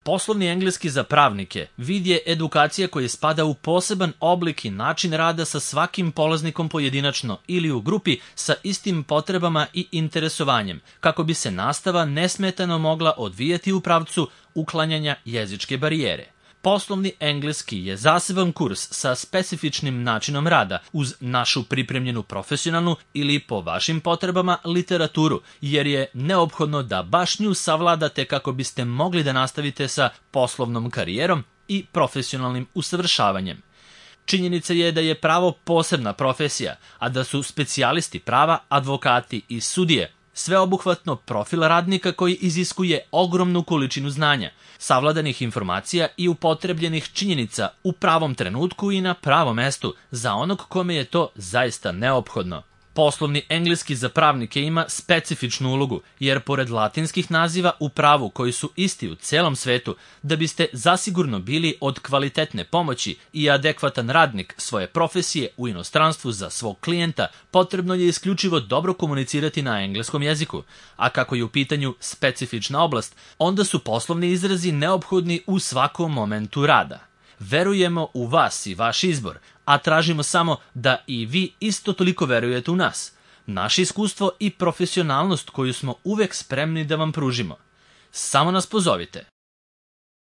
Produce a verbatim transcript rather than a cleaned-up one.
Poslovni engleski za pravnike vid je edukacija koja spada u poseban oblik i način rada sa svakim polaznikom pojedinačno ili u grupi sa istim potrebama i interesovanjem, kako bi se nastava nesmetano mogla odvijati u pravcu uklanjanja jezičke barijere. Poslovni engleski je zaseban kurs sa specifičnim načinom rada uz našu pripremljenu profesionalnu ili po vašim potrebama literaturu, jer je neophodno da baš nju savladate kako biste mogli da nastavite sa poslovnom karijerom i profesionalnim usavršavanjem. Činjenica je da je pravo posebna profesija, a da su specijalisti prava, advokati i sudije sveobuhvatno profil radnika koji iziskuje ogromnu količinu znanja, savladanih informacija i upotrebljenih činjenica u pravom trenutku i na pravom mestu za onog kome je to zaista neophodno. Poslovni engleski za pravnike ima specifičnu ulogu, jer pored latinskih naziva u pravu koji su isti u celom svetu, da biste zasigurno bili od kvalitetne pomoći i adekvatan radnik svoje profesije u inostranstvu za svog klijenta, potrebno je isključivo dobro komunicirati na engleskom jeziku, a kako je u pitanju specifična oblast, onda su poslovni izrazi neophodni u svakom momentu rada. Verujemo u vas i vaš izbor, a tražimo samo da i vi isto toliko verujete u nas, naše iskustvo i profesionalnost koju smo uvek spremni da vam pružimo. Samo nas pozovite.